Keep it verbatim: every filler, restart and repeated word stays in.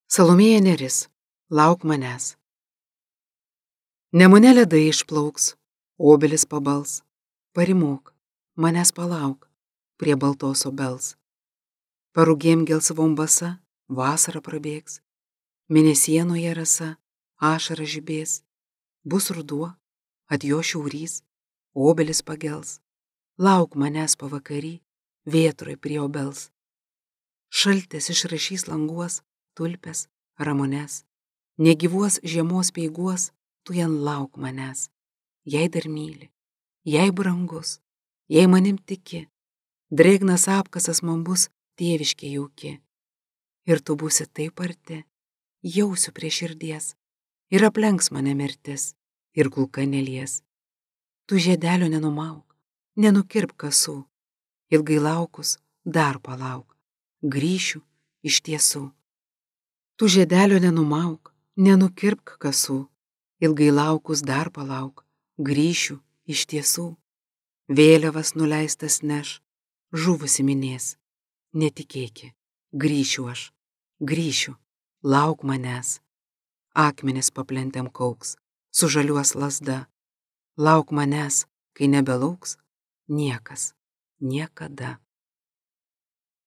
Salomėja Nėris, lauk manęs. Nemune ledai išplauks, obelis pabals, parimok, manęs palauk, prie baltos obels. Parugėm gelsvom basa, vasara prabėgs, mėnesienoje rasa, ašara žibės, bus ruduo, atjo šiaurys, obelis pagels, lauk manęs pavakary, vėtroj prie obels. Šaltis išrašys languos, tulpes, ramones, negyvuos žiemos peiguos, tu jan lauk manęs, jei dar myli, jei brangus, jei manim tiki, drėgnas apkasas man bus tėviškė jauki. Ir tu būsi taip arti, jausiu prie širdies, ir aplenks mane mirtis, ir kulka nelies. Tu žiedelio nenumauk, nenukirp kasų, ilgai laukus dar palauk, grįšiu iš tiesų. Tu žiedelio nenumauk, nenukirpk kasų, ilgai laukus dar palauk, grįšiu iš tiesų. Vėliavas nuleistas neš, žuvusi minės, netikėki, grįšiu aš, grįšiu, lauk manęs. Akmenis paplentėm kauks, sužaliuos lazda, lauk manęs, kai nebelauks niekas, niekada.